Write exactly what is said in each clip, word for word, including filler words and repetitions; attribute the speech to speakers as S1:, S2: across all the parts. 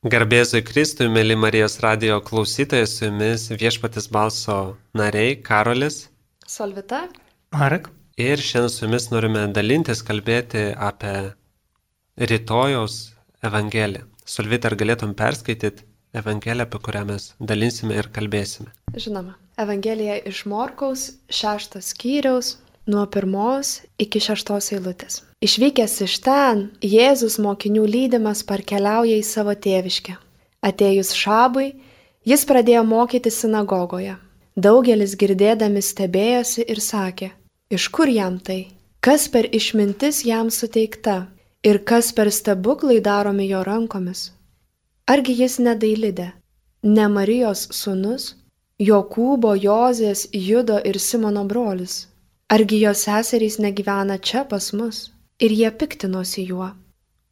S1: Garbėzui Kristui, mėly Marijos radijo klausytojai, su jumis Viešpaties balso nariai Karolis,
S2: Solvita,
S3: Marek.
S1: Ir šiandien su jumis norime dalintis, kalbėti apie rytojaus Evangeliją. Solvita, ar galėtum perskaityti Evangeliją, apie kurią mes dalinsime ir kalbėsime?
S2: Žinoma, Evangelija iš Morkaus šeštos skyriaus nuo pirmos iki šeštos eilutės. Išvykęs iš ten, Jėzus mokinių lydimas parkeliauja į savo tėviškę. Atėjus šabui, jis pradėjo mokyti sinagogoje. Daugelis girdėdami stebėjosi ir sakė, iš kur jam tai? Kas per išmintis jam suteikta ir kas per stebuklai daromi jo rankomis? Argi jis ne Dailidė, ne Marijos sūnus, Jokūbo, Jozės, Judo ir Simono brolis? Argi jo seserys negyvena čia pas mus? Ir jie piktinosi juo.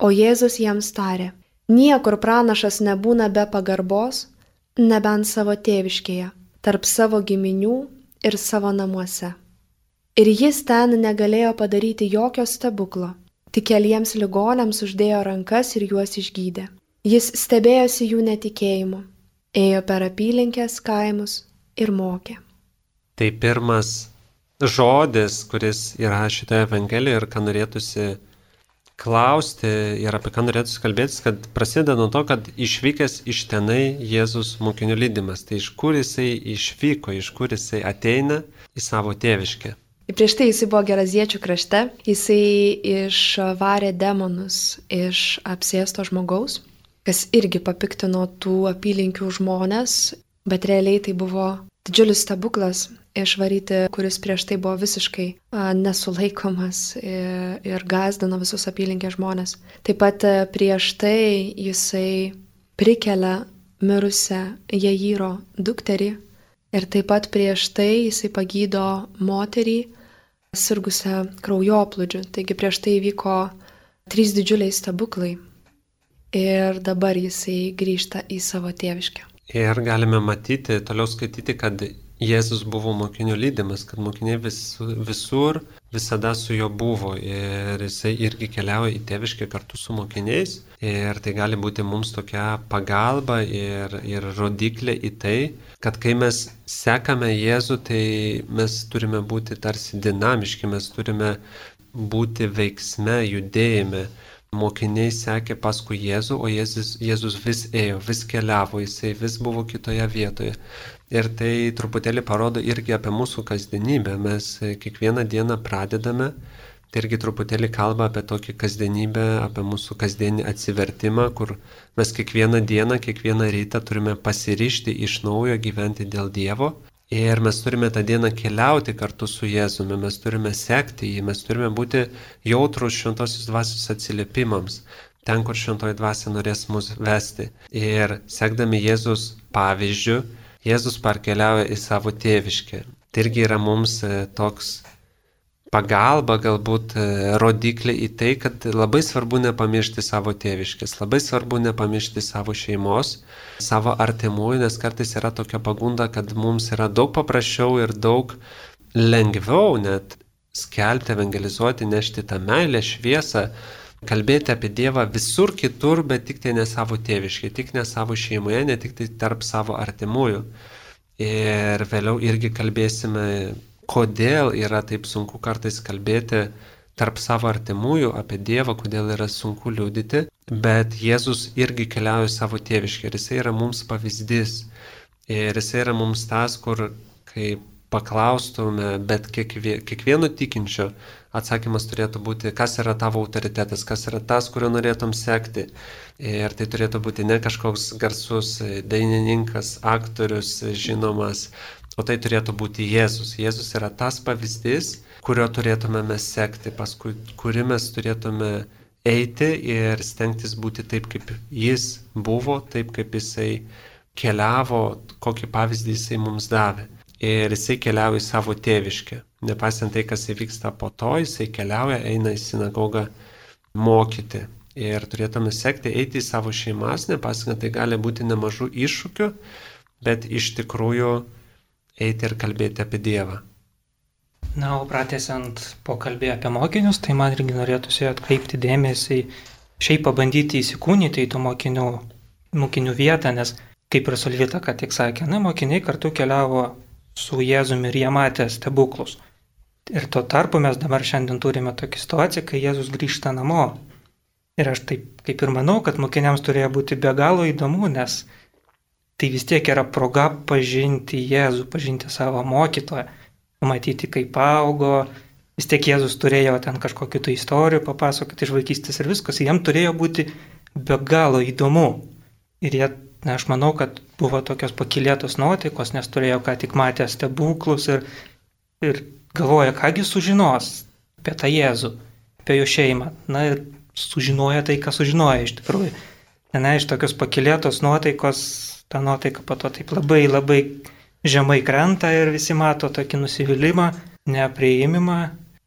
S2: O Jėzus jiems tarė, niekur pranašas nebūna be pagarbos, nebent savo tėviškėje, tarp savo giminių ir savo namuose. Ir jis ten negalėjo padaryti jokio stebuklo, tik keliems ligoniams uždėjo rankas ir juos išgydė. Jis stebėjosi jų netikėjimu, ėjo per apylinkės kaimus ir mokė.
S1: Tai pirmas žodis, kuris yra šitoje Evangelijoje ir ką norėtųsi klausti ir apie ką norėtųsi kalbėtis, kad prasideda nuo to, kad išvykęs iš tenai Jėzus mokinių lydimas. Tai iš kur jisai išvyko, iš kur jisai ateina į savo tėviškę.
S2: Prieš tai jisai buvo Geraziečių krašte, jisai išvarė demonus iš apsėsto žmogaus, kas irgi papiktino tų apylinkių žmonės, bet realiai tai buvo didžiulis stebuklas išvaryti, kuris prieš tai buvo visiškai a, nesulaikomas ir, ir gąsdino visus apylinkės žmonės. Taip pat a, prieš tai jisai prikelia mirusią Jairo dukterį ir taip pat prieš tai jisai pagydo moterį sirgusią kraujoplūdžiu. Taigi prieš tai įvyko trys didžiuliai stebuklai ir dabar jisai grįžta į savo tėviškę.
S1: Ir galime matyti, toliau skaityti, kad Jėzus buvo mokinių lydimas, kad mokiniai vis, visur visada su juo buvo ir jisai irgi keliauja į tėviškę kartu su mokiniais ir tai gali būti mums tokia pagalba ir, ir rodiklė į tai, kad kai mes sekame Jėzų, tai mes turime būti tarsi dinamiški, mes turime būti veiksme, judėjime. Mokiniai sekė paskui Jėzų, o Jėzus, Jėzus vis ėjo, vis keliavo, jisai vis buvo kitoje vietoje. Ir tai truputėlį parodo irgi apie mūsų kasdienybę. Mes kiekvieną dieną pradedame, tai irgi truputėlį kalba apie tokį kasdienybę, apie mūsų kasdienį atsivertimą, kur mes kiekvieną dieną, kiekvieną rytą turime pasiryžti iš naujo gyventi dėl Dievo. Ir mes turime tą dieną keliauti kartu su Jėzumi, mes turime sekti jį, mes turime būti jautrus šventosios dvasios atsiliepimams, ten, kur šventoji dvasia norės mus vesti. Ir sekdami Jėzus pavyzdžiu, Jėzus parkeliauja į savo tėviškę. Tai irgi yra mums toks pagalba, galbūt rodiklė į tai, kad labai svarbu nepamiršti savo tėviškės, labai svarbu nepamiršti savo šeimos, savo artimųjų, nes kartais yra tokia pagunda, kad mums yra daug paprasčiau ir daug lengviau net skelbti, evangelizuoti, nešti tą meilę, šviesą, kalbėti apie Dievą visur kitur, bet tik tai ne savo tėviškai, tik ne savo šeimoje, ne tik tai tarp savo artimųjų. Ir vėliau irgi kalbėsime, kodėl yra taip sunku kartais kalbėti tarp savo artimųjų apie Dievą, kodėl yra sunku liudyti, bet Jėzus irgi keliauja savo tėviškę ir jisai yra mums pavyzdys. Ir jisai yra mums tas, kur kai paklaustume, bet kiekvie, kiekvieno tikinčio atsakymas turėtų būti, kas yra tavo autoritetas, kas yra tas, kurio norėtum sekti. Ir tai turėtų būti ne kažkoks garsus dainininkas, aktorius, žinomas, o tai turėtų būti Jėzus. Jėzus yra tas pavyzdys, kurio turėtume mes sekti, paskui kurį mes turėtume eiti ir stengtis būti taip, kaip jis buvo, taip, kaip jisai keliavo, kokį pavyzdį jisai mums davė. Ir jisai keliauja į savo tėviškę. Nepasiant tai, kas įvyksta po to, jisai keliauja, eina į sinagogą mokyti. Ir turėtume sekti, eiti į savo šeimas, nepasiant tai gali būti nemažų iššūkių, bet iš tikrųjų eiti ir kalbėti apie Dievą.
S3: Na, o pratęsiant pokalbį apie mokinius, tai man irgi norėtųsi atkreipti dėmesį, šiaip pabandyti įsikūnyti į tų mokinių mokinių vietą, nes kaip ir Solvita ką tik sakė, na, mokiniai kartu keliavo su Jėzumi ir jie matė stebuklus. Ir tuo tarpu mes dabar šiandien turime tokią situaciją, kai Jėzus grįžta namo. Ir aš taip kaip ir manau, kad mokiniams turėjo būti be galo įdomu, nes tai vis tiek yra proga pažinti Jėzų, pažinti savo mokytoją, pamatyti, kaip augo. Vis tiek Jėzus turėjo ten kažkokių tai istorijų papasakoti iš vaikystės ir viskas. Jiems turėjo būti be galo įdomu. Ir jie, na, aš manau, kad buvo tokios pakilėtos nuotaikos, nes turėjo ką tik matę stebuklus ir, ir galvoja, kągi sužinos apie tą Jėzų, apie jo šeimą. Na ir sužinoja tai, ką sužinoja iš tikrųjų. Na, iš tokios pakilėtos nuotaikos, ta nuotaika po to taip labai labai žemai krenta ir visi mato tokį nusivylimą, nepriėmimą,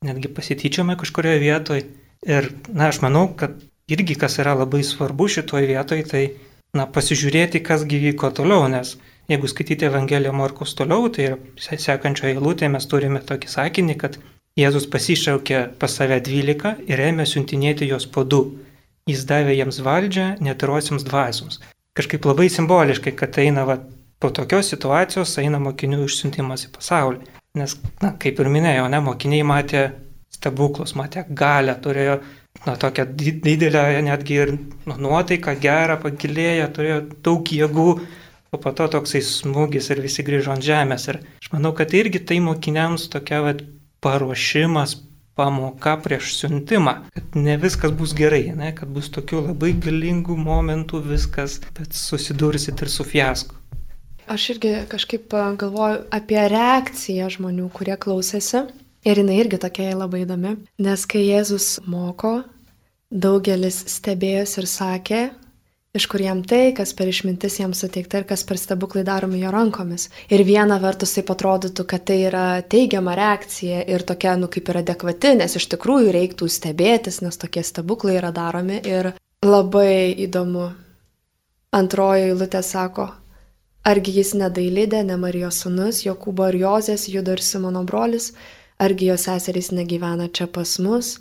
S3: netgi pasityčiojimą kažkurioje vietoje. Ir, na, aš manau, kad irgi kas yra labai svarbu šitoje vietoje, tai, na, pasižiūrėti, kas gyvyko toliau, nes jeigu skaityti Evangeliją Morkaus toliau, tai ir sekančioje eilutėje mes turime tokį sakinį, kad Jėzus pasišaukė pas save dvylika ir ėmė siuntinėti juos po du. Jis davė jiems valdžią netyrosiams dvasioms. Kažkaip labai simboliškai, kad eina va, po tokios situacijos eina mokinių išsiuntimas į pasaulį. Nes, na, kaip ir minėjau, ne, mokiniai matė stebuklus, matė galę, turėjo, na, tokią didelę netgi ir nu, nuotaiką, gerą, pagilėję, turėjo daug jėgų, o po to toksai smūgis ir visi grįžo ant žemės. Ir aš manau, kad irgi tai mokiniams tokia va, paruošimas, pamoka prieš siuntimą, kad ne viskas bus gerai, ne, kad bus tokių labai galingų momentų viskas, bet susidursit ir su fiasku.
S2: Aš irgi kažkaip galvoju apie reakciją žmonių, kurie klausėsi. Ir jinai irgi tokia labai įdomi, nes kai Jėzus moko, daugelis stebėjosi ir sakė, iš kur jam tai, kas per išmintis jam suteikta ir kas per stebuklai daromi jo rankomis. Ir viena vertus taip atrodytų, kad tai yra teigiama reakcija ir tokia, nu, kaip ir adekvati, nes iš tikrųjų reiktų stebėtis, nes tokie stebuklai yra daromi. Ir labai įdomu. Antroji eilutė sako, argi jis ne Dailidė, ne Marijos sūnus, Jokūbo ir Jozės, Judo ir Simono brolis, argi jo seserys negyvena čia pas mus,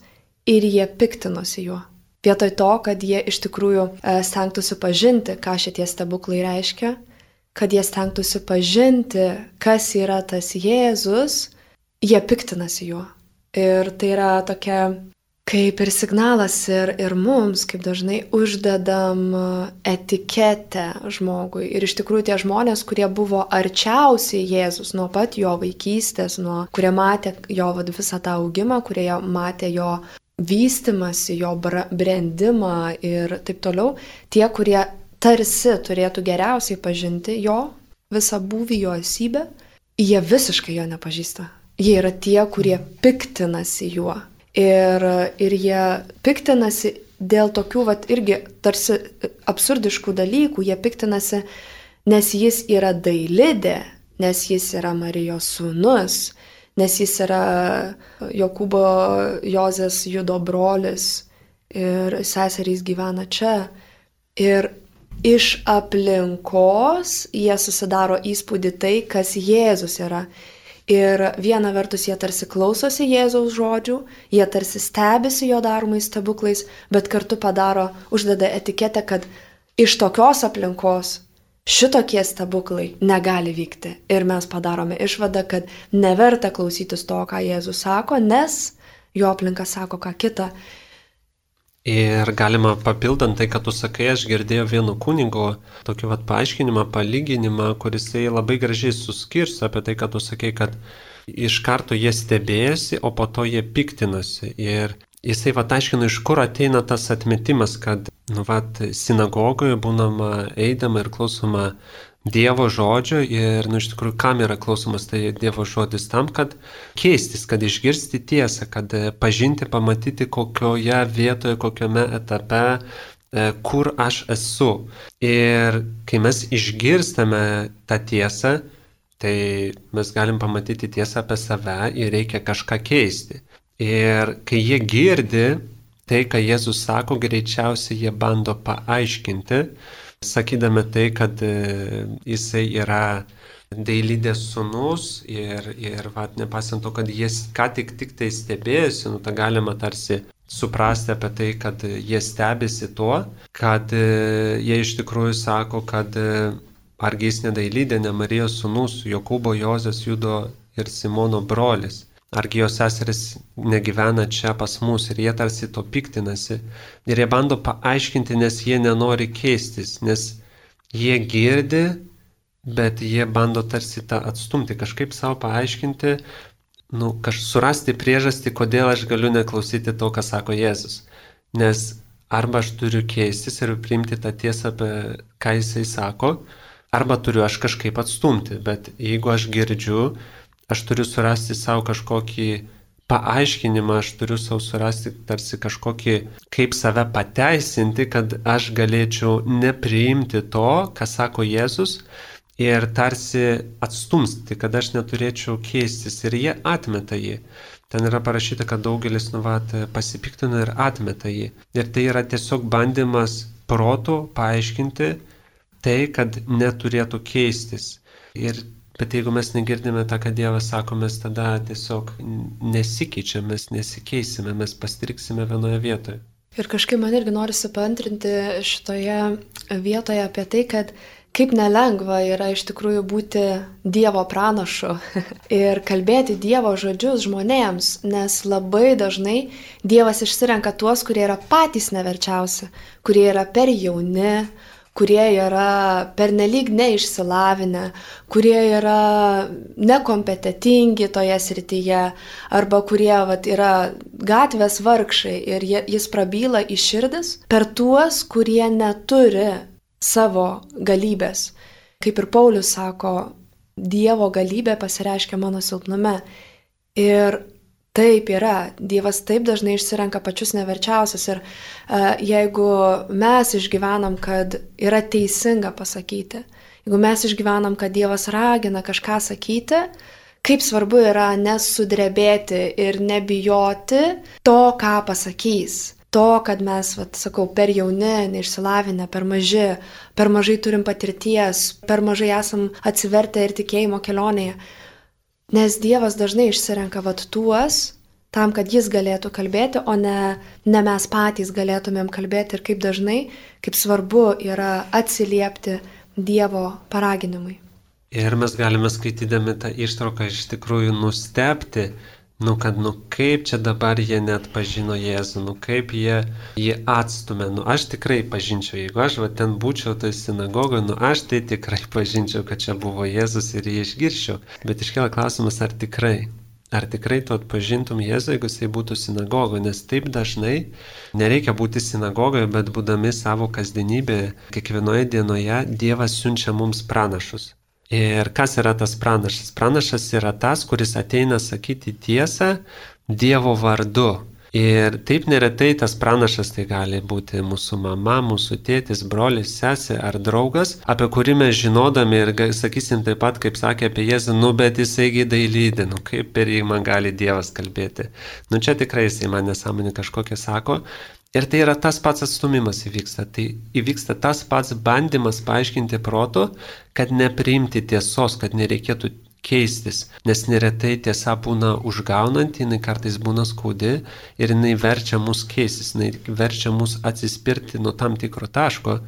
S2: ir jie piktinosi juo. Vietoj to, kad jie iš tikrųjų stengtųsi pažinti, ką šitie stebuklai reiškia, kad jie stengtųsi pažinti, kas yra tas Jėzus, jie piktinasi juo. Ir tai yra tokia kaip ir signalas ir, ir mums, kaip dažnai uždedam etiketę žmogui. Ir iš tikrųjų tie žmonės, kurie buvo arčiausiai Jėzus nuo pat jo vaikystės, nuo, kurie matė jo vad, visą tą augimą, kurie matė jo vystimasi, jo brendimą ir taip toliau, tie, kurie tarsi turėtų geriausiai pažinti jo visą būvį, jo esybę, jie visiškai jo nepažįsta. Jie yra tie, kurie piktinasi juo. Ir, ir jie piktinasi dėl tokių, vat, irgi tarsi absurdiškų dalykų. Jie piktinasi, nes jis yra Dailidė, nes jis yra Marijos sūnus, nes jis yra Jokūbo, Jozės, Judo brolis ir seserys gyvena čia. Ir iš aplinkos jie susidaro įspūdį tai, kas Jėzus yra. Ir viena vertus jie tarsi klausosi Jėzaus žodžių, jie tarsi stebisi jo daromais stebuklais, bet kartu padaro, uždeda etiketę, kad iš tokios aplinkos šitokie stebuklai negali vykti. Ir mes padarome išvadą, kad neverta klausytis to, ką Jėzus sako, nes jo aplinka sako ką kitą.
S1: Ir galima papildant tai, kad tu sakai, aš girdėjau vieno kunigo tokį vat paaiškinimą, palyginimą, kuris labai gražiai suskirsto apie tai, kad tu sakai, kad iš karto jie stebėjosi, o po to jie piktinasi. Ir jisai vat aiškino, iš kur ateina tas atmetimas, kad nu, vat, sinagogoje būnama eidama ir klausoma Dievo žodžio ir, nu, iš tikrųjų, kam yra klausomas tai Dievo žodis tam, kad keistis, kad išgirsti tiesą, kad pažinti, pamatyti kokioje vietoje, kokiame etape, kur aš esu. Ir kai mes išgirstame tą tiesą, tai mes galim pamatyti tiesą apie save ir reikia kažką keisti. Ir kai jie girdi tai, ką Jėzus sako, greičiausiai jie bando paaiškinti, sakydami tai, kad jisai yra Dailidės sūnus ir, ir vat, nepasiant to, kad jis ką tik tik tai stebėjosi, nu, tą galima tarsi suprasti apie tai, kad jie stebisi tuo, kad jie iš tikrųjų sako, kad argi jis nedailydė, ne Marijos sūnus, Jokūbo, Jozės, Judo ir Simono brolis. Argi jos seseris negyvena čia pas mus ir jie tarsi to piktinasi. Ir jie bando paaiškinti, nes jie nenori keistis, nes jie girdi, bet jie bando tarsi tą atstumti, kažkaip savo paaiškinti, nu, kaž, surasti priežastį, kodėl aš galiu neklausyti to, ką sako Jėzus. Nes arba aš turiu keistis ir priimti tą tiesą, apie ką jisai sako, arba turiu aš kažkaip atstumti. Bet jeigu aš girdžiu, aš turiu surasti savo kažkokį paaiškinimą, aš turiu savo surasti tarsi kažkokį, kaip save pateisinti, kad aš galėčiau nepriimti to, ką sako Jėzus, ir tarsi atstumsti, kad aš neturėčiau keistis. Ir jie atmeta jį. Ten yra parašyta, kad daugelis nu, vat, pasipiktina ir atmeta jį. Ir tai yra tiesiog bandymas protu paaiškinti tai, kad neturėtų keistis. Ir Bet jeigu mes negirdime tą, ką Dievas sako, mes tada tiesiog nesikeičiame, mes nesikeisime, mes pastriksime vienoje vietoje.
S2: Ir kažkaip man irgi norisi paantrinti šitoje vietoje apie tai, kad kaip nelengva yra iš tikrųjų būti Dievo pranašu ir kalbėti Dievo žodžius žmonėms, nes labai dažnai Dievas išsirenka tuos, kurie yra patys neverčiausi, kurie yra per jauni, kurie yra pernelyg neišsilavinę, kurie yra nekompetentingi toje srityje, arba kurie vat, yra gatvės vargšai ir jie, jis prabyla į širdis per tuos, kurie neturi savo galybės. Kaip ir Paulius sako, Dievo galybė pasireiškia mano silpnume. Ir taip yra, Dievas taip dažnai išsirenka pačius neverčiausius ir uh, jeigu mes išgyvenam, kad yra teisinga pasakyti, jeigu mes išgyvenam, kad Dievas ragina kažką sakyti, kaip svarbu yra nesudrebėti ir nebijoti to, ką pasakys. To, kad mes, vat, sakau, per jauni, neišsilavinę, per maži, per mažai turim patirties, per mažai esam atsivertę ir tikėjimo kelionėje. Nes Dievas dažnai išsirenka vat tuos, tam, kad jis galėtų kalbėti, o ne, ne mes patys galėtumėm kalbėti. Ir kaip dažnai, kaip svarbu yra atsiliepti Dievo paraginimui.
S1: Ir mes galime skaitydami tą ištrauką iš tikrųjų nustebti, nu kad, nu kaip čia dabar jie net pažino Jėzų, nu kaip jie jį atstumė. Nu aš tikrai pažinčiau, jeigu aš va ten būčiau toj sinagogoje, nu aš tai tikrai pažinčiau, kad čia buvo Jėzus ir jį išgirščiau. Bet iškėlė klausimas, ar tikrai, ar tikrai tu atpažintum Jėzų, jeigu jisai būtų sinagogoje, nes taip dažnai nereikia būti sinagogoje, bet būdami savo kasdienybėje, kiekvienoje dienoje Dievas siunčia mums pranašus. Ir kas yra tas pranašas? Pranašas yra tas, kuris ateina sakyti tiesą Dievo vardu. Ir taip neretai tas pranašas tai gali būti mūsų mama, mūsų tėtis, brolis, sesė ar draugas, apie kurį mes žinodami ir sakysim taip pat, kaip sakė apie Jėzų, nu bet jisaigi dailydė, nu kaip per jį man gali Dievas kalbėti. Nu čia tikrai jisai man nesąmonė kažkokia sako. Ir tai yra tas pats atstumimas įvyksta. Tai įvyksta tas pats bandymas paaiškinti protu, kad nepriimti tiesos, kad nereikėtų keistis. Nes neretai tiesa būna užgaunanti, jinai kartais būna skaudi ir jinai verčia mus keistis, jinai verčia mus atsispirti nuo tam tikro taško.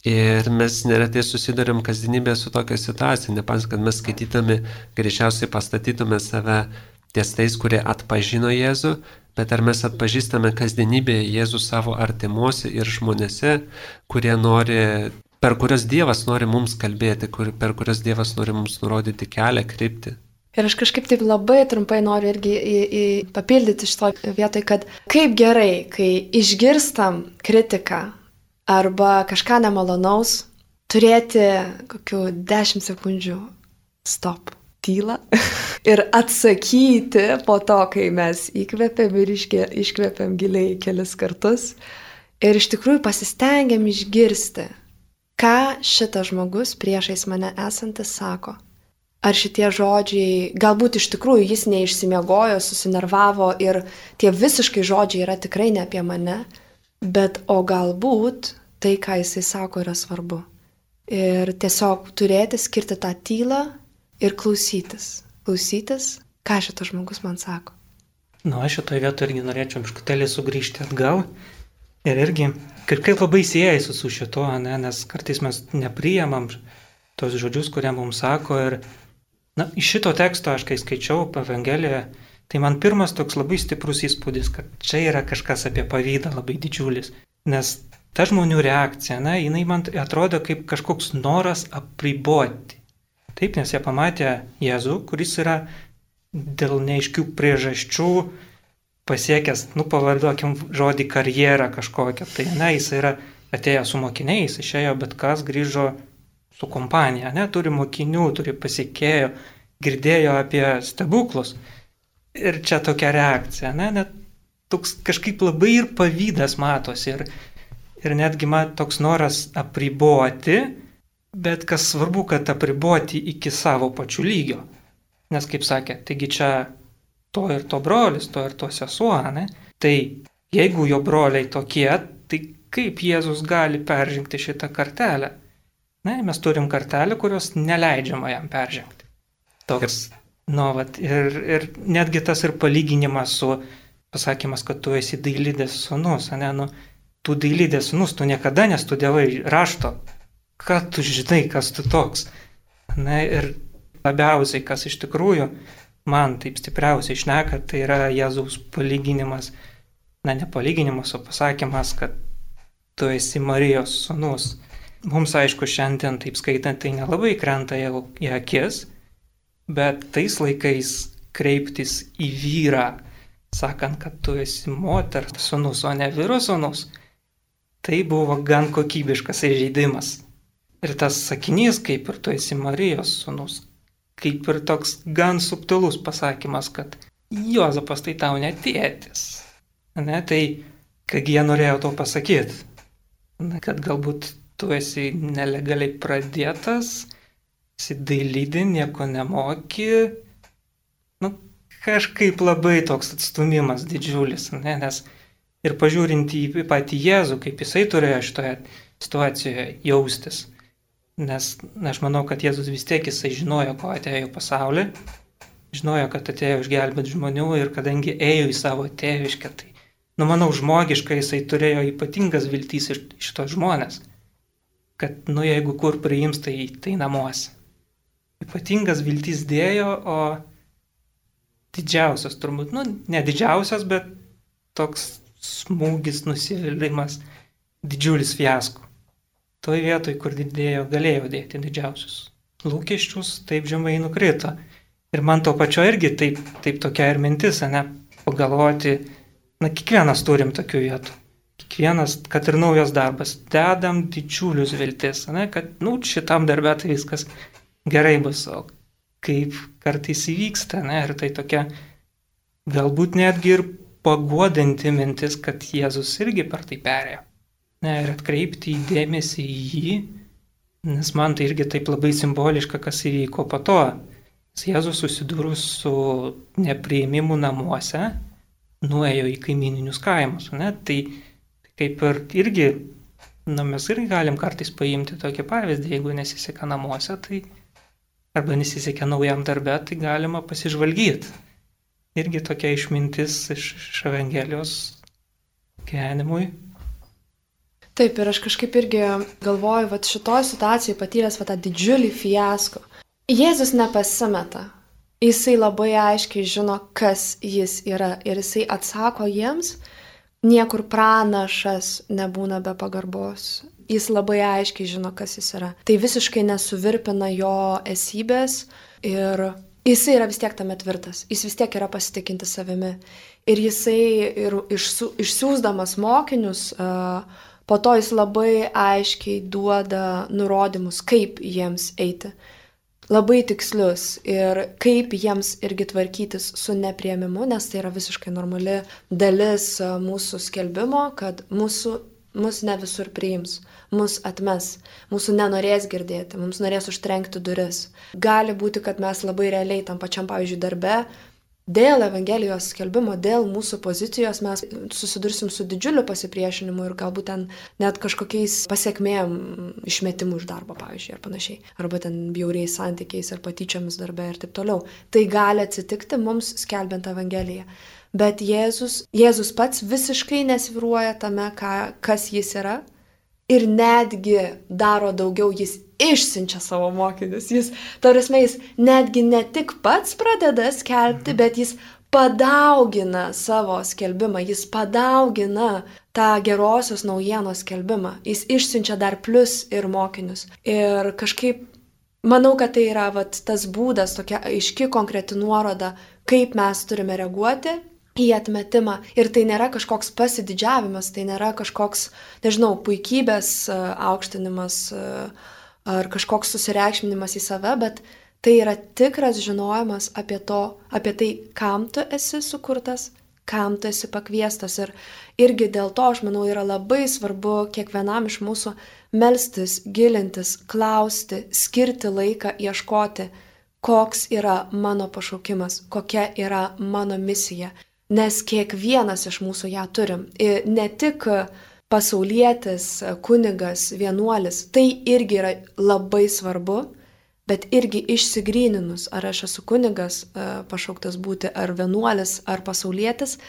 S1: Ir mes neretai susidurėm kasdienybėje su tokia situacija. Nepans, kad mes skaitydami greičiausiai pastatytume save ties tais, kurie atpažino Jėzų, bet ar mes atpažįstame kasdienybėje Jėzų savo artimuose ir žmonėse, kurie nori, per kurios Dievas nori mums kalbėti, kur, per kurios Dievas nori mums nurodyti kelią, kryptį.
S2: Ir aš kažkaip taip labai trumpai noriu irgi į, į papildyti šito vietoj, kad kaip gerai, kai išgirstam kritiką arba kažką nemalonaus, turėti kokių dešimt sekundžių stop. Tylą ir atsakyti po to, kai mes įkvėpėm ir iškvėpėm giliai kelis kartus ir iš tikrųjų pasistengiam išgirsti, ką šitas žmogus priešais mane esantis sako. Ar šitie žodžiai, galbūt iš tikrųjų jis neišsimiegojo, susinervavo ir tie visiškai žodžiai yra tikrai ne apie mane, bet o galbūt tai, ką jisai sako, yra svarbu. Ir tiesiog turėti, skirti tą tylą ir klausytis. Klausytis, ką šitas žmogus man sako.
S3: Nu, aš šitoje vietoje irgi norėčiau biškutelį sugrįžti atgal. Ir irgi kažkaip labai siejasi su šito, ne, nes kartais mes nepriemam tos žodžius, kurie mums sako. Ir na, iš šito teksto aš kai skaičiau Evangeliją, tai man pirmas toks labai stiprus įspūdis, kad čia yra kažkas apie pavydą labai didžiulis. Nes ta žmonių reakcija, na, jinai man atrodo kaip kažkoks noras apriboti. Taip, nes jie pamatė Jėzų, kuris yra dėl neaiškių priežasčių pasiekęs, nu, pavarduokim žodį karjerą kažkokią. Tai, ne, jis yra atėjęs su mokiniais, išėjo, bet kas grįžo su kompanija, ne, turi mokinių, turi pasiekėjo, girdėjo apie stebuklus. Ir čia tokia reakcija, ne, net toks kažkaip labai ir pavydas matosi, ir, ir netgi man toks noras apriboti, bet kas svarbu, kad apriboti iki savo pačių lygio. Nes, kaip sakė, taigi čia to ir to brolis, to ir to sesuo, ne? Tai jeigu jo broliai tokie, tai kaip Jėzus gali peržengti šitą kartelę? Ne, mes turim kartelę, kurios neleidžiama jam peržengti. Toks, nu, vat, ir, ir netgi tas ir palyginimas su pasakymas, kad tu esi dailidės sūnus, ne, nu, tu dailidės sūnus, tu niekada nestudijavai rašto, ką tu žinai, kas tu toks. Ne, ir labiausiai, kas iš tikrųjų man taip stipriausiai šneka, tai yra Jėzaus palyginimas, na, ne palyginimas, o pasakymas, kad tu esi Marijos sūnus. Mums, aišku, šiandien taip skaitant, tai nelabai krenta jau į akis, bet tais laikais kreiptis į vyrą, sakant, kad tu esi moters sūnus, o ne vyro sūnus, tai buvo gan kokybiškas įžeidimas. Ir tas sakinys, kaip ir tu esi Marijos sūnus, kaip ir toks gan subtilus pasakymas, kad Juozapas tai tau ne tėtis. Ne, tai, kągi jie norėjo to pasakyti, ne, kad galbūt tu esi nelegaliai pradėtas, esi dailydė, nieko nemoki, nu, kažkaip labai toks atstumimas didžiulis, ne, nes ir pažiūrint į patį Jėzų, kaip jisai turėjo šitoje situacijoje jaustis. Nes aš manau, kad Jėzus vis tiek jisai žinojo, ko atėjo į pasaulį, žinojo, kad atėjo išgelbėti žmonių ir kadangi ėjo į savo tėviškę, tai, nu, manau, žmogiškai jisai turėjo ypatingas viltys iš šitos žmonės, kad, nu, jeigu kur priims, tai, tai namuose. Ypatingas viltys dėjo, o didžiausias turbūt, nu, ne didžiausias, bet toks smūgis, nusivylimas, didžiulis fiasko. Toj vietoj, kur didėjo, galėjo dėti didžiausius lūkesčius, taip žemai nukrito. Ir man to pačio irgi taip, taip tokia ir mintis, ne, pagalvoti, na, kiekvienas turim tokių vietų. Kiekvienas, kad ir naujas darbas, dedam didžiulius viltis, ne, kad, nu, šitam darbė tai viskas gerai bus, o kaip kartais įvyksta, ne, ir tai tokia galbūt netgi ir paguodanti mintis, kad Jėzus irgi per tai perėjo. Ne, ir atkreipti dėmesį į jį, nes man tai irgi taip labai simboliška, kas įvyko po to. Jėzus susidūrus su nepriėmimu namuose, nuėjo į kaimininius kaimus. Ne? Tai kaip ir irgi, nu, mes irgi galim kartais paimti tokį pavyzdį, jeigu nesiseka namuose, tai arba nesiseka naujam darbe, tai galima pasižvalgyti. Irgi tokia išmintis iš, iš Evangelijos gyvenimui.
S2: Taip, ir aš kažkaip irgi galvoju, va šitoj situacijai patyręs va tą didžiulį fiasko. Jėzus nepasimeta. Jisai labai aiškiai žino, kas jis yra. Ir jisai atsako jiems, niekur pranašas nebūna be pagarbos. Jis labai aiškiai žino, kas jis yra. Tai visiškai nesuvirpina jo esybės ir jisai yra vis tiek tame tvirtas. Jis vis tiek yra pasitikinti savimi. Ir jisai ir išsu, išsiųsdamas mokinius, uh, po to jis labai aiškiai duoda nurodymus, kaip jiems eiti. Labai tikslius ir kaip jiems irgi tvarkytis su nepriėmimu, nes tai yra visiškai normali dalis mūsų skelbimo, kad mūsų, mus ne visur priims, mus atmes, mūsų nenorės girdėti, mums norės užtrenkti duris. Gali būti, kad mes labai realiai tam pačiam, pavyzdžiui, darbe, dėl Evangelijos skelbimo, dėl mūsų pozicijos mes susidursim su didžiuliu pasipriešinimu ir galbūt ten net kažkokiais pasiekmėm išmetimų iš darbo, pavyzdžiui, ar panašiai. Arba ten bjauriais santykiais ar patyčiomis darbe ir taip toliau. Tai gali atsitikti mums skelbiant Evangeliją. bet Jėzus, Jėzus pats visiškai nesvyruoja tame, ką, kas jis yra. Ir netgi daro daugiau, jis išsiunčia savo mokinius. Jis, tarsi, jis netgi ne tik pats pradeda skelbti, bet jis padaugina savo skelbimą, jis padaugina tą gerosios naujienos skelbimą. Jis išsiunčia dar plus ir mokinius. Ir kažkaip, manau, kad tai yra vat, tas būdas, tokia aiški, konkreti nuoroda, kaip mes turime reaguoti į atmetimą. Ir tai nėra kažkoks pasididžiavimas, tai nėra kažkoks, nežinau, puikybės aukštinimas ar kažkoks susireikšminimas į save, bet tai yra tikras žinojimas apie, to, apie tai, kam tu esi sukurtas, kam tu esi pakviestas. Ir irgi dėl to, aš manau, yra labai svarbu kiekvienam iš mūsų melstis, gilintis, klausti, skirti laiką, ieškoti, koks yra mano pašaukimas, kokia yra mano misija. Nes kiekvienas iš mūsų ją turim. Ir ne tik pasaulietis, kunigas, vienuolis, tai irgi yra labai svarbu, bet irgi išsigryninus, ar aš esu kunigas, pašauktas būti, ar vienuolis, ar pasaulietis,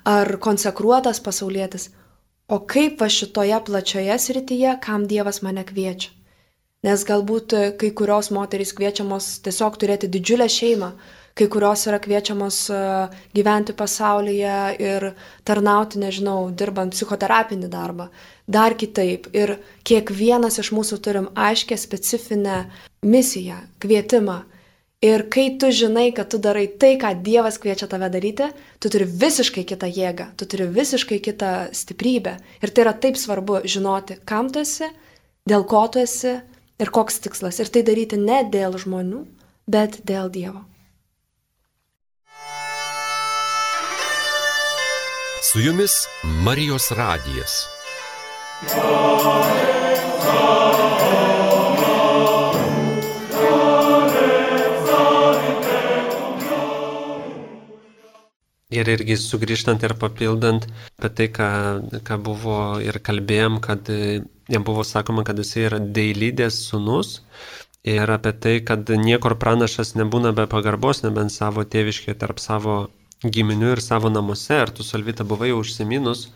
S2: ar konsekruotas pasaulietis, o kaip va šitoje plačioje srityje, kam Dievas mane kviečia. Nes galbūt kai kurios moterys kviečiamos tiesiog turėti didžiulę šeimą, kai kurios yra kviečiamos gyventi pasaulyje ir tarnauti, nežinau, dirbant psichoterapinį darbą, dar kitaip. Ir kiekvienas iš mūsų turim aiškę specifinę misiją, kvietimą. Ir kai tu žinai, kad tu darai tai, ką Dievas kviečia tave daryti, tu turi visiškai kitą jėgą, tu turi visiškai kitą stiprybę. Ir tai yra taip svarbu žinoti, kam tu esi, dėl ko tu esi ir koks tikslas. Ir tai daryti ne dėl žmonių, bet dėl Dievo.
S4: Su jumis Marijos radijas.
S1: Ir irgi sugrįžtant ir papildant apie tai, ką, ką buvo ir kalbėjom, kad jam buvo sakoma, kad jis yra Deilidės sūnus. Ir apie tai, kad niekur pranašas nebūna be pagarbos, nebent savo tėviškėje tarp savo giminių ir savo namuose. Ir tu, Solvita, buvai užsiminus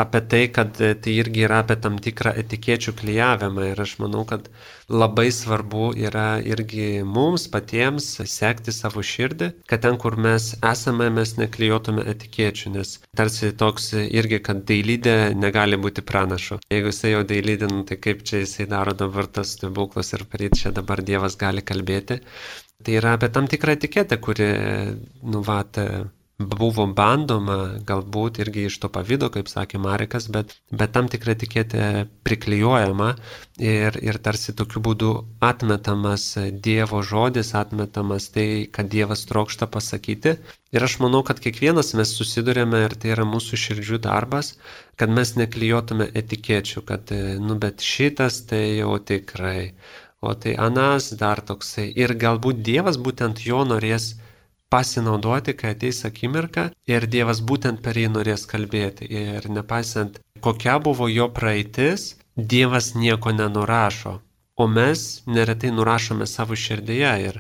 S1: apie tai, kad tai irgi yra apie tam tikrą etikečių klijavimą. Ir aš manau, kad labai svarbu yra irgi mums patiems sekti savo širdį, kad ten, kur mes esame, mes neklijuotume etikečių, nes tarsi toks irgi, kad Deilidė negali būti pranašu. Jeigu jisai jau Deilidė, nu, tai kaip čia jisai daro dabar tas stebuklas ir paryt čia dabar Dievas gali kalbėti. Tai yra apie tam tikrą etiketę, kuri, nu, vat, buvo bandoma galbūt irgi iš to pavydo, kaip sakė Marekas, bet, bet tam tikra etiketė priklijuojama ir, ir tarsi tokiu būdu atmetamas Dievo žodis, atmetamas tai, kad Dievas trokšta pasakyti. Ir aš manau, kad kiekvienas mes susidurėme ir tai yra mūsų širdžių darbas, kad mes neklijuotume etikečių, kad, nu, bet šitas tai jau tikrai, o tai anas dar toksai. Ir galbūt Dievas būtent jo norės pasinaudoti, kai ateis akimirka ir Dievas būtent per jį norės kalbėti. Ir nepaisant, kokia buvo jo praeitis, Dievas nieko nenurašo. O mes neretai nurašome savo širdyje ir,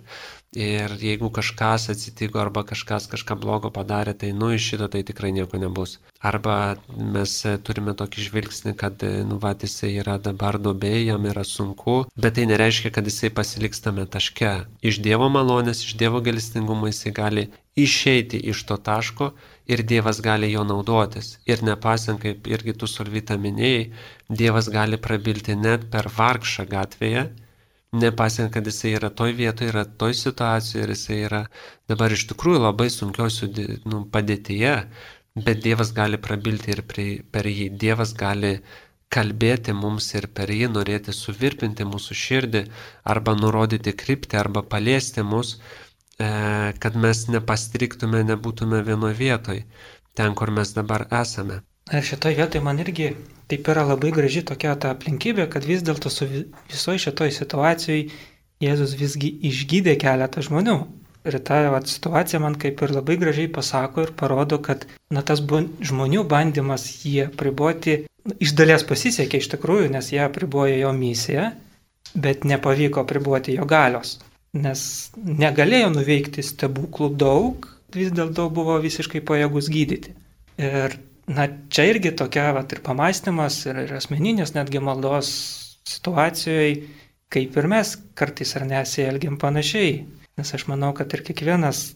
S1: ir jeigu kažkas atsitiko arba kažkas kažką blogo padarė, tai nu iš šito tai tikrai nieko nebus. Arba mes turime tokį žvilgsnį, kad nu va, jisai yra dabar duobėje, jam yra sunku, bet tai nereiškia, kad jisai pasiliks tame taške. Iš Dievo malonės, iš Dievo gailestingumo jisai gali išeiti iš to taško ir Dievas gali jo naudotis. Ir nepaisant, kaip irgi tu, Solvita, minėjai, Dievas gali prabilti net per vargšą gatvėje, nepaisant, kad jisai yra toj vietoje, yra toj situacijoje ir jisai yra dabar iš tikrųjų labai sunkios nu, padėtyje, bet Dievas gali prabilti ir per jį. Dievas gali kalbėti mums ir per jį norėti suvirpinti mūsų širdį arba nurodyti kryptį arba paliesti mus, kad mes nepastriktume, nebūtume vienoje vietoje, ten, kur mes dabar esame.
S3: Ir šitoje vietoje man irgi taip yra labai graži tokia ta aplinkybė, kad vis dėlto su visoje šitoje situacijoje Jėzus visgi išgydė keletą žmonių. Ir ta vat, situacija man kaip ir labai gražiai pasako ir parodo, kad na, tas bu, žmonių bandymas jį apriboti iš dalies pasisekė iš tikrųjų, nes jie apribojo jo misiją, bet nepavyko apriboti jo galios. Nes negalėjo nuveikti stebuklų daug, vis dėlto buvo visiškai pajėgus gydyti. Ir na, čia irgi tokia vat, ir pamastymas, ir, ir asmeninės netgi maldos situacijoje, kaip ir mes kartais ar nesielgiam panašiai. Nes aš manau, kad ir kiekvienas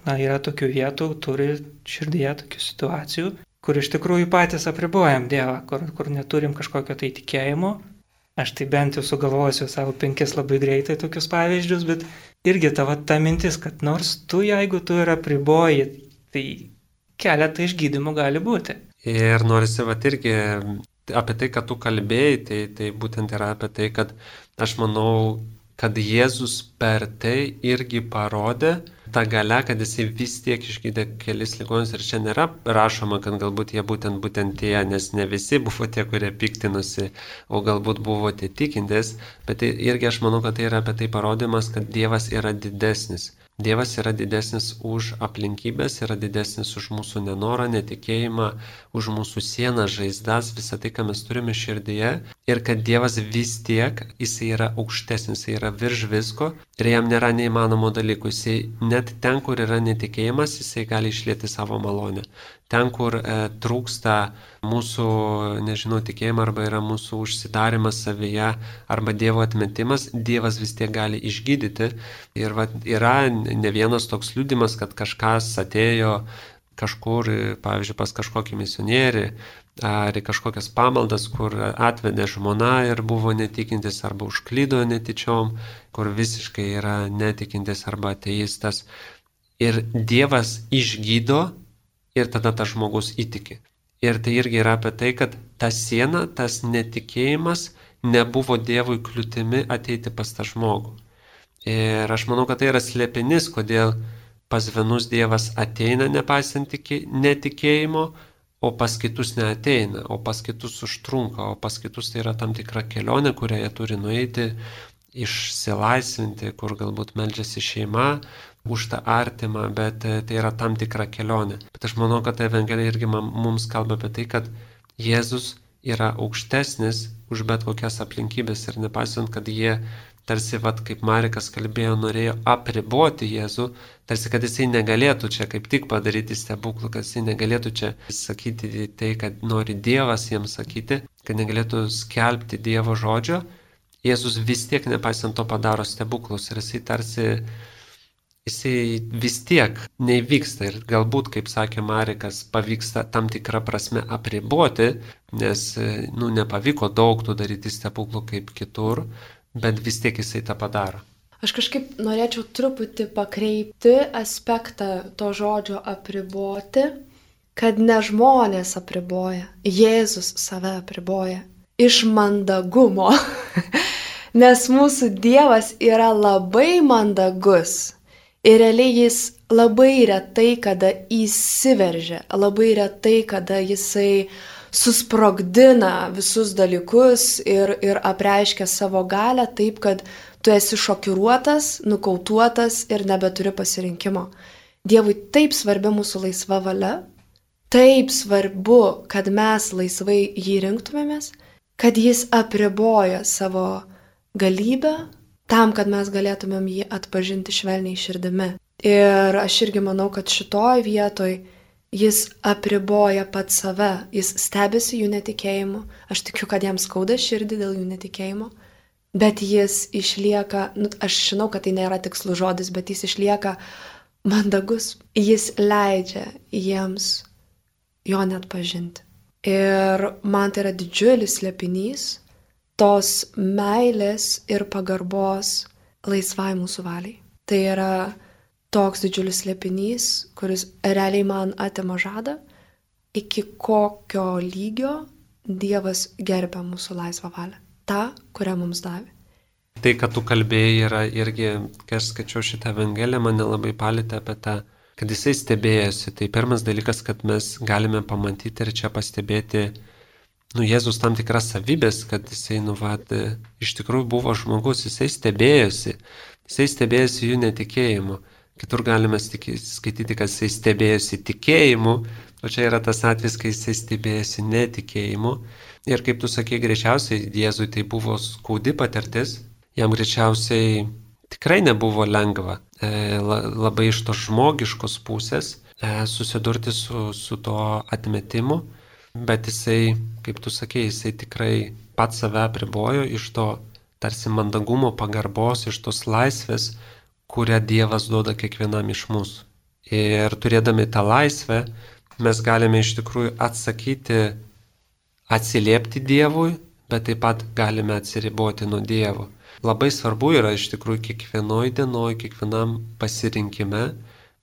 S3: na, yra tokių vietų, turi širdyje tokių situacijų, kur iš tikrųjų patys apribojam Dievą, kur, kur neturim kažkokio tai tikėjimo. Aš tai bent jau sugalvosiu savo penkis labai greitai tokius pavyzdžius, bet irgi tavo ta mintis, kad nors tu, jeigu tu ir apriboji, tai keletą išgydymų gali būti.
S1: Ir norisi vat irgi apie tai, kad tu kalbėjai, tai, tai būtent yra apie tai, kad aš manau, kad Jėzus per tai irgi parodė tą galę, kad jisai vis tiek išgydė kelis ligonius ir čia nėra rašoma, kad galbūt jie būtent, būtent tie, nes ne visi buvo tie, kurie piktinosi, o galbūt buvo tie tikintis, bet tai irgi aš manau, kad tai yra apie tai parodymas, kad Dievas yra didesnis. Dievas yra didesnis už aplinkybės, yra didesnis už mūsų nenorą, netikėjimą, už mūsų sieną, žaizdas, visą tai, ką mes turime širdyje. Ir kad Dievas vis tiek, jisai yra aukštesnis, jisai yra virš visko ir jam nėra neįmanomų dalykų. Jisai net ten, kur yra netikėjimas, jisai gali išlieti savo malonę. Ten, kur e, trūksta mūsų, nežinau, tikėjimą arba yra mūsų užsidarimas savyje arba Dievo atmetimas, Dievas vis tiek gali išgydyti. Ir va, yra ne vienas toks liudimas, kad kažkas atėjo kažkur, pavyzdžiui, pas kažkokį misionierį ar į kažkokias pamaldas, kur atvedė žmona ir buvo netikintis arba užklydo netyčiom, kur visiškai yra netikintis arba ateistas. Ir Dievas išgydo ir tada tas žmogus įtiki. Ir tai irgi yra apie tai, kad ta siena, tas netikėjimas nebuvo Dievui kliūtimi ateiti pas tą žmogų. Ir aš manau, kad tai yra slėpinys, kodėl pas vienus Dievas ateina nepaisant netikėjimo, o pas kitus neateina, o pas kitus užtrunka, o pas kitus tai yra tam tikra kelionė, kurią jie turi nueiti, išsilaisvinti, kur galbūt meldžiasi šeima už tą artimą, bet tai yra tam tikra kelionė. Bet aš manau, kad Evangelija irgi mums kalba apie tai, kad Jėzus yra aukštesnis už bet kokias aplinkybės ir nepaisant, kad jie tarsi, vat, kaip Marikas kalbėjo, norėjo apriboti Jėzų, tarsi, kad jisai negalėtų čia kaip tik padaryti stebuklų, kad jisai negalėtų čia sakyti tai, kad nori Dievas jiems sakyti, kad negalėtų skelbti Dievo žodžio, Jėzus vis tiek nepaisant to padaro stebuklus ir jisai tarsi, jisai vis tiek neįvyksta ir galbūt, kaip sakė Marikas, pavyksta tam tikrą prasme apriboti, nes, nu, nepavyko daug tų daryti stebuklų kaip kitur, bet vis tiek jisai tą padaro.
S2: Aš kažkaip norėčiau truputį pakreipti aspektą to žodžio apriboti, kad ne žmonės apriboja, Jėzus save apriboja iš mandagumo, nes mūsų Dievas yra labai mandagus ir realiai jis labai retai kada įsiveržia, labai retai kada jisai susprogdina visus dalykus ir, ir apreiškia savo galią taip, kad tu esi šokiruotas, nukautuotas ir nebeturi pasirinkimo. Dievui taip svarbi mūsų laisva valia, taip svarbu, kad mes laisvai jį rinktumėmės, kad jis apriboja savo galybę tam, kad mes galėtumėm jį atpažinti švelniai širdimi. Ir aš irgi manau, kad šitoj vietoj jis apriboja pat save, jis stebisi jų netikėjimu, aš tikiu, kad jam skauda širdį dėl jų netikėjimo, bet jis išlieka, nu, aš žinau, kad tai nėra tikslus žodis, bet jis išlieka mandagus, jis leidžia jiems jo net pažinti. Ir man tai yra didžiulis slėpinys tos meilės ir pagarbos laisvai mūsų valiai. Tai yra toks didžiulis slėpinys, kuris realiai man atima žadą, iki kokio lygio Dievas gerbia mūsų laisvą valią. Ta, kurią mums davė.
S1: Tai, kad tu kalbėjai, yra irgi, kai aš skaičiau šitą Evangeliją, mane labai palėtė apie tą, kad jisai stebėjosi. Tai pirmas dalykas, kad mes galime pamatyti ir čia pastebėti, nu, Jėzus tam tikras savybės, kad jisai, nu, vat, iš tikrųjų buvo žmogus, jisai stebėjosi, jisai stebėjosi jų netikėjimu. Kitur galime skaityti, kad jisai stebėjosi tikėjimu, o čia yra tas atvejis, kai jisai stebėjosi netikėjimu. Ir kaip tu sakei, greičiausiai Jėzui tai buvo skaudi patirtis, jam greičiausiai tikrai nebuvo lengva e, labai iš tos žmogiškos pusės e, susidurti su, su to atmetimu, bet jisai, kaip tu sakei, jisai tikrai pats save apribojo iš to tarsi mandagumo, pagarbos, iš tos laisvės, kurią Dievas duoda kiekvienam iš mūsų. Ir turėdami tą laisvę, mes galime iš tikrųjų atsakyti, atsiliepti Dievui, bet taip pat galime atsiriboti nuo Dievo. Labai svarbu yra iš tikrųjų kiekvienoj dienoj, kiekvienam pasirinkime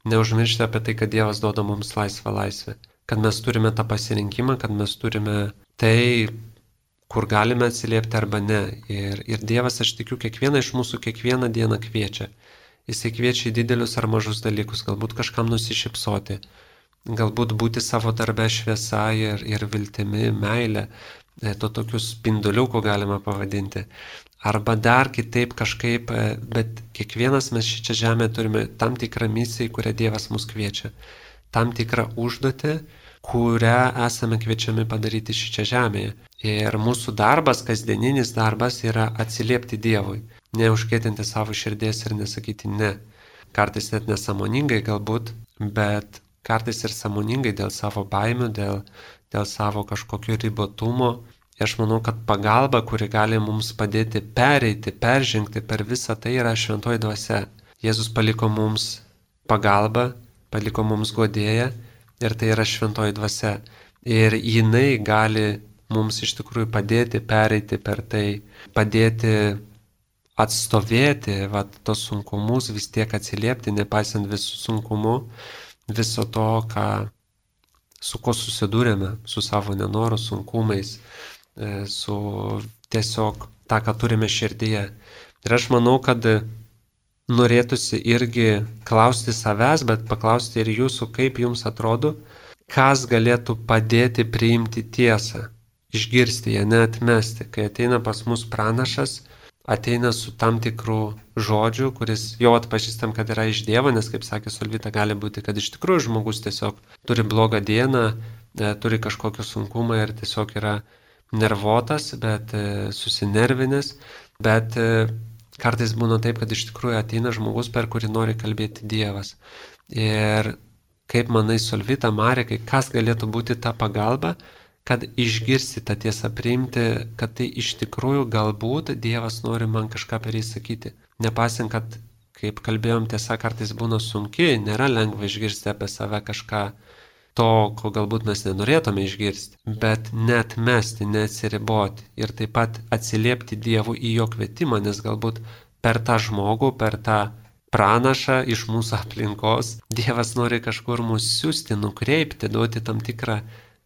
S1: neužmiršti apie tai, kad Dievas duoda mums laisvą laisvę. Kad mes turime tą pasirinkimą, kad mes turime tai, kur galime atsiliepti arba ne. Ir, ir Dievas, aš tikiu, kiekvieną iš mūsų kiekvieną dieną kviečia. Jisai kviečia į didelius ar mažus dalykus, galbūt kažkam nusišypsoti, galbūt būti savo darbe šviesa ir, ir viltimi, meilė, to tokių spinduliukų galima pavadinti. Arba dar kitaip kažkaip, bet kiekvienas mes šičia žemėje turime tam tikrą misiją, į kurią Dievas mus kviečia. Tam tikrą užduotį, kurią esame kviečiami padaryti šičia žemėje. Ir mūsų darbas, kasdieninis darbas yra atsiliepti Dievui, neužkėtinti savo širdies ir nesakyti ne. Kartais net nesąmoningai galbūt, bet kartais ir sąmoningai dėl savo baimių, dėl, dėl savo kažkokio ribotumo. Ir aš manau, kad pagalba, kuri gali mums padėti pereiti, peržengti per visą tai, yra šventoji dvasia. Jėzus paliko mums pagalbą, paliko mums guodėją ir tai yra šventoji dvasia. Ir jinai gali mums iš tikrųjų padėti pereiti per tai, padėti atstovėti vat, tos sunkumus, vis tiek atsiliepti, nepaisant visų sunkumų, viso to, ką, su ko susidūrėme, su savo nenoro sunkumais, su tiesiog tą, ką turime širdyje. Ir aš manau, kad norėtųsi irgi klausti savęs, bet paklausti ir jūsų, kaip jums atrodo, kas galėtų padėti priimti tiesą, išgirsti ją, neatmesti. Kai ateina pas mus pranašas, ateina su tam tikrų žodžių, kuris jau atpažįstam, kad yra iš Dievo, nes, kaip sakė Solvita, gali būti, kad iš tikrųjų žmogus tiesiog turi blogą dieną, turi kažkokį sunkumą ir tiesiog yra nervotas, bet susinervinęs, bet kartais būna taip, kad iš tikrųjų ateina žmogus, per kurį nori kalbėti Dievas. Ir kaip manai, Solvita, Marekai, kas galėtų būti ta pagalba, kad išgirsti tą tiesą, priimti, kad tai iš tikrųjų galbūt Dievas nori man kažką per jį sakyti. Nepaisant, kad, kaip kalbėjom, tiesa kartais būna sunki, nėra lengva išgirsti apie save kažką to, ko galbūt mes nenorėtume išgirsti, bet neatmesti, neatsiriboti ir taip pat atsiliepti Dievui į jo kvietimą, nes galbūt per tą žmogų, per tą pranašą iš mūsų aplinkos Dievas nori kažkur mus siūsti, nukreipti, duoti tam tikrą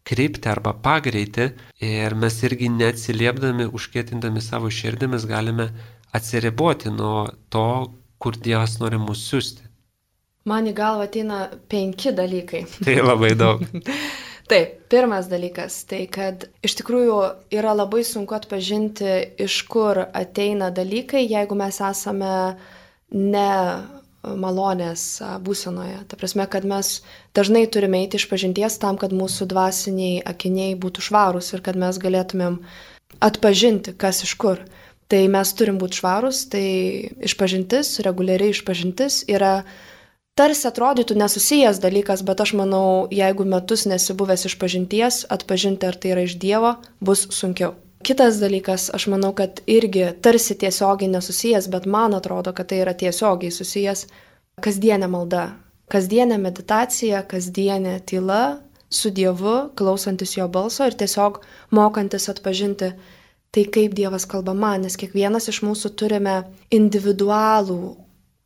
S1: kryptį arba pagreitį ir mes irgi neatsiliepdami, užkietindami savo širdį, mes galime atsiriboti nuo to, kur Dievas nori mus siūsti.
S2: Man į galvą ateina penki dalykai.
S1: Tai labai daug.
S2: Taip, pirmas dalykas, tai kad iš tikrųjų yra labai sunku atpažinti, iš kur ateina dalykai, jeigu mes esame ne malonės būsenoje. Ta prasme, kad mes dažnai turime eiti iš pažinties tam, kad mūsų dvasiniai akiniai būtų švarūs ir kad mes galėtumėm atpažinti, kas iš kur. Tai mes turim būti švarūs, tai išpažintis, reguliariai išpažintis yra tarsi atrodytų nesusijęs dalykas, bet aš manau, jeigu metus nesibuvęs išpažinties, atpažinti, ar tai yra iš Dievo, bus sunkiau. Kitas dalykas, aš manau, kad irgi tarsi tiesiogiai nesusijęs, bet man atrodo, kad tai yra tiesiogiai susijęs kasdienė malda, kasdienė meditacija, kasdienė tyla su Dievu, klausantis jo balso ir tiesiog mokantis atpažinti tai, kaip Dievas kalba man, nes kiekvienas iš mūsų turime individualų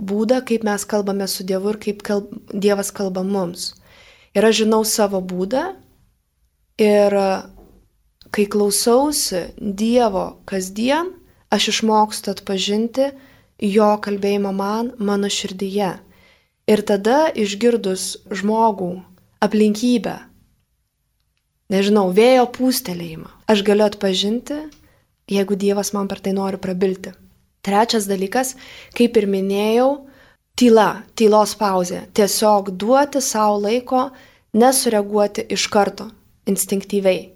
S2: būdą, kaip mes kalbame su Dievu ir kaip kalb... Dievas kalba mums. Ir aš žinau savo būdą ir kai klausausi Dievo kasdien, aš išmokstu atpažinti jo kalbėjimą man, mano širdyje. Ir tada išgirdus žmogų, aplinkybę, nežinau, vėjo pūstelėjimą, aš galiu atpažinti, jeigu Dievas man per tai nori prabilti. Trečias dalykas, kaip ir minėjau, tyla, tylos pauzė. Tiesiog duoti savo laiko, nesureaguoti iš karto, instinktyviai.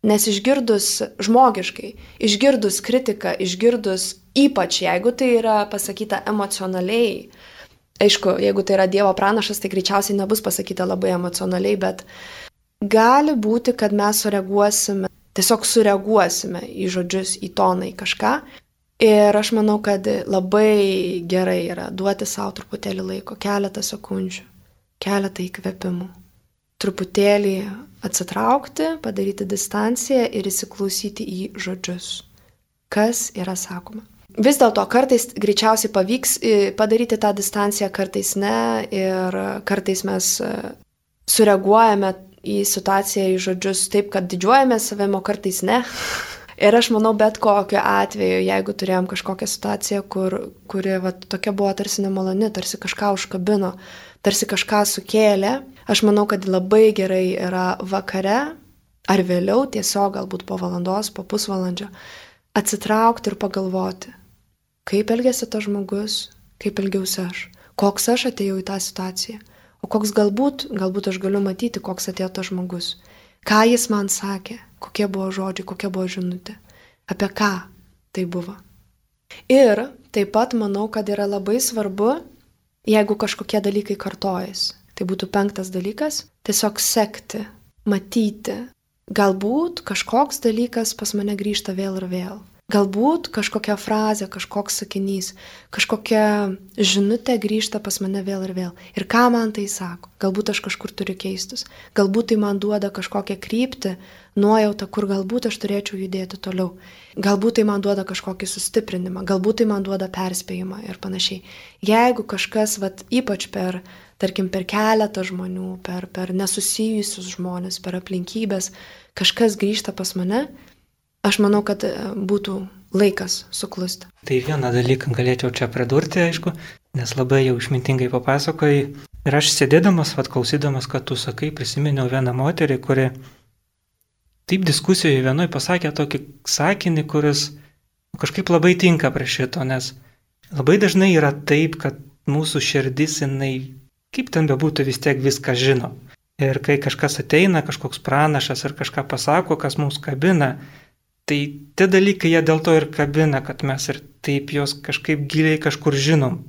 S2: Nes išgirdus žmogiškai, išgirdus kritiką, išgirdus ypač, jeigu tai yra pasakyta emocionaliai, aišku, jeigu tai yra Dievo pranašas, tai greičiausiai nebus pasakyta labai emocionaliai, bet gali būti, kad mes sureaguosime, tiesiog sureaguosime į žodžius, į toną, į kažką. Ir aš manau, kad labai gerai yra duoti savo truputėlį laiko, keletą sekundžių, keletą įkvėpimų. Truputėlį atsitraukti, padaryti distanciją ir įsiklausyti į žodžius, kas yra sakoma. Vis dėlto kartais greičiausiai pavyks padaryti tą distanciją, kartais ne, ir kartais mes sureaguojame į situaciją, į žodžius taip, kad didžiuojame savimi, o kartais ne. Ir aš manau, bet kokiu atveju, jeigu turėjom kažkokią situaciją, kur, kuri va, tokia buvo tarsi nemaloni, tarsi kažką užkabino, tarsi kažką sukėlė, aš manau, kad labai gerai yra vakare ar vėliau, tiesiog galbūt po valandos, po pusvalandžio, atsitraukti ir pagalvoti, kaip elgėsi tas žmogus, kaip elgiausi aš, koks aš atėjau į tą situaciją, o koks galbūt, galbūt aš galiu matyti, koks atėjo tas žmogus, ką jis man sakė, kokie buvo žodžiai, kokia buvo žinutė, apie ką tai buvo. Ir taip pat manau, kad yra labai svarbu, jeigu kažkokie dalykai kartojasi. Tai būtų penktas dalykas, tiesiog sekti, matyti. Galbūt kažkoks dalykas pas mane grįžta vėl ir vėl. Galbūt kažkokia frazė, kažkoks sakinys, kažkokia žinutė grįžta pas mane vėl ir vėl. Ir ką man tai sako? Galbūt aš kažkur turiu keistis. Galbūt tai man duoda kažkokią kryptį, nuojautą, kur galbūt aš turėčiau judėti toliau. Galbūt tai man duoda kažkokį sustiprinimą, galbūt tai man duoda perspėjimą ir panašiai. Jeigu kažkas, vat, ypač per, tarkim, per keletą žmonių, per, per nesusijusius žmonės, per aplinkybės, kažkas grįžta pas mane, aš manau, kad būtų laikas suklusti.
S3: Tai vieną dalyką galėčiau čia pridurti, aišku, nes labai jau išmintingai papasakojai. Ir aš sėdėdamas, vat, klausydamas, kad tu sakai, prisiminiau vieną moterį, kuri taip diskusijoje vienoj pasakė tokį sakinį, kuris kažkaip labai tinka prie šito, nes labai dažnai yra taip, kad mūsų širdis, jinai, kaip ten bebūtų, vis tiek viską žino. Ir kai kažkas ateina, kažkoks pranašas ir kažką pasako, kas mums kabina, tai tie dalykai jie dėl to ir kabina, kad mes ir taip jos kažkaip giliai kažkur žinom.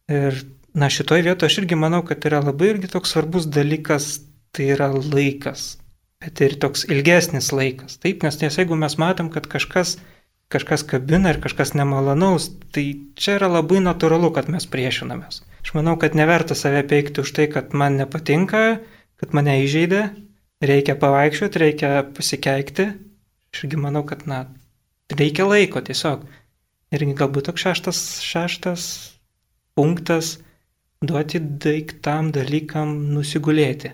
S3: Ir na, šitoj vietoje aš irgi manau, kad yra labai irgi toks svarbus dalykas, tai yra laikas. Bet ir toks ilgesnis laikas. Taip, nes, nes jeigu mes matom, kad kažkas, kažkas kabina ir kažkas nemalanaus, tai čia yra labai natūralu, kad mes priešinamės. Aš manau, kad neverta save peikti už tai, kad man nepatinka, kad mane įžeidė, reikia pavaikščioti, reikia pasikeikti. Aš irgi manau, kad na, reikia laiko tiesiog. Ir galbūt toks šeštas, šeštas punktas duoti daiktam dalykam nusigulėti.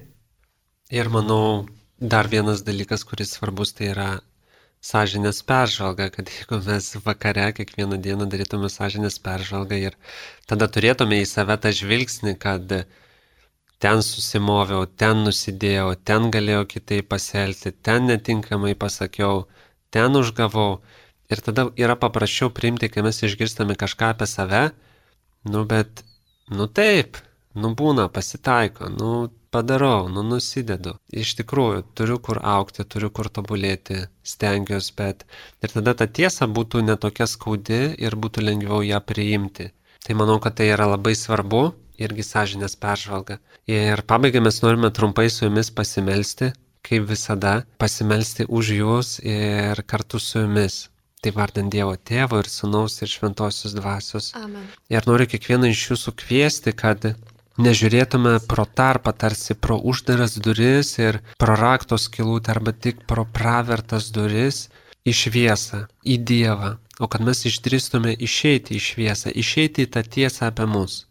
S1: Ir manau, dar vienas dalykas, kuris svarbus, tai yra sąžinės peržvalga, kad jeigu mes vakare kiekvieną dieną darytume sąžinės peržvalgą ir tada turėtume į save tą žvilgsnį, kad ten susimoviau, ten nusidėjau, ten galėjau kitaip pasielgti, ten netinkamai pasakiau, ten užgavau. Ir tada yra paprasčiau priimti, kai mes išgirstame kažką apie save, nu bet, nu taip, nu būna, pasitaiko, nu padarau, nu nusidedu. Iš tikrųjų, turiu kur augti, turiu kur tobulėti, stengiuosi, bet ir tada ta tiesa būtų netokia skaudi ir būtų lengviau ją priimti. Tai manau, kad tai yra labai svarbu. Irgi sąžinės peržvalga. Ir pabaigai mes norime trumpai su jumis pasimelsti, kaip visada, pasimelsti už jūs ir kartu su jumis. Tai vardant Dievo Tėvo ir Sūnaus ir Šventosios Dvasios.
S2: Amen.
S1: Ir noriu kiekvieną iš jūsų kviesti, kad nežiūrėtume pro tarpą, tarsi pro uždaras duris ir pro rakto skylutę arba tik pro pravertas duris į šviesą, į Dievą, o kad mes išdrįstume išeiti į šviesą, išeiti į tą tiesą apie mus.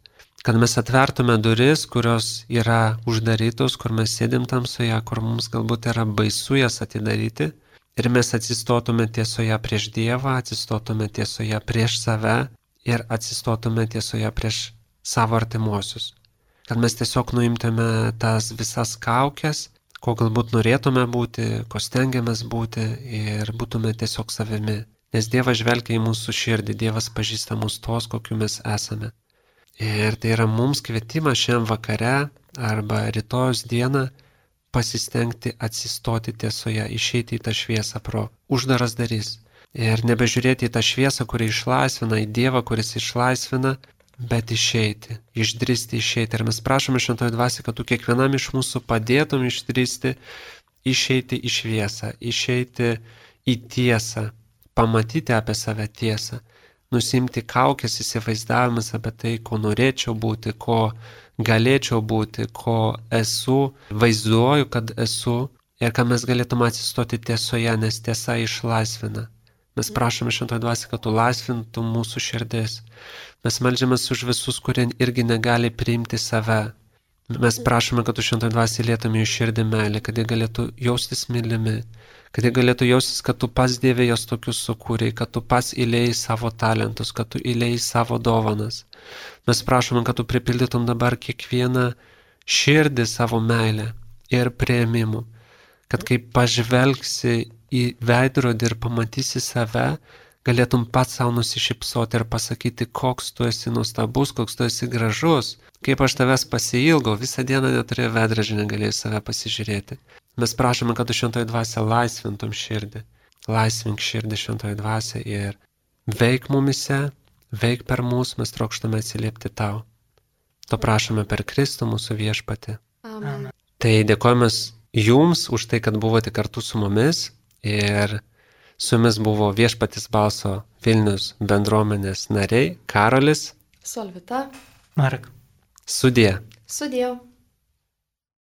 S1: Kad mes atvertume duris, kurios yra uždarytos, kur mes sėdim tamsoje, kur mums galbūt yra baisu jas atidaryti. Ir mes atsistotume tiesoje prieš Dievą, atsistotume tiesoje prieš save ir atsistotume tiesoje prieš savo artimuosius. Kad mes tiesiog nuimtume tas visas kaukes, ko galbūt norėtume būti, ko stengiamės būti ir būtume tiesiog savimi. Nes Dievas žvelgia į mūsų širdį, Dievas pažįsta mus tos, kokiu mes esame. Ir tai yra mums kvietimas šiandien vakare arba rytojus dieną pasistengti atsistoti tiesoje, išeiti į tą šviesą pro uždaras darys. Ir nebežiūrėti į tą šviesą, kuri išlaisvina, į Dievą, kuris išlaisvina, bet išeiti, išdristi išeiti. Ir mes prašome Šventoji Dvasia, kad tu kiekvienam iš mūsų padėtum išdristi, išeiti į šviesą, išeiti į tiesą, pamatyti apie save tiesą, nusimti kaukės įsivaizdavimus apie tai, ko norėčiau būti, ko galėčiau būti, ko esu, vaizduoju, kad esu, ir kad mes galėtume atsistoti tiesoje, nes tiesa išlaisvina. Mes prašome Šventoji Dvasia, kad tu laisvintum mūsų širdis. Mes meldžiamės už visus, kurie irgi negali priimti save. Mes prašome, kad tu Šventoji Dvasia lietum jų širdį meilę, kad jie galėtų jaustis mylimi, kad jie galėtų jaustis, kad tu pats Dieve jos tokius sukūrei, kad tu pats įlėjai savo talentus, kad tu įlėjai savo dovanas. Mes prašome, kad tu pripildytum dabar kiekvieną širdį savo meilę ir priėmimu, kad kai pažvelgsi į veidrodį ir pamatysi save, galėtum pats savo nusišypsoti ir pasakyti, koks tu esi nuostabus, koks tu esi gražus, kaip aš tavęs pasiilgau, visą dieną neturėjau veidrodžio, negalėjau save pasižiūrėti. Mes prašome, kad tu Šventoji Dvasia laisvintum širdį, laisvink širdį Šventoji Dvasia ir veik mumise, veik per mus, mes trokštame atsiliepti tau. To prašome per Kristų mūsų viešpatį.
S2: Amen.
S1: Tai dėkojame jums už tai, kad buvote kartu su mumis. Ir su jumis buvo Viešpaties balso Vilnius bendruomenės nariai Karolis,
S2: Solvita.
S3: Marek.
S1: Sudie.
S2: Sudie.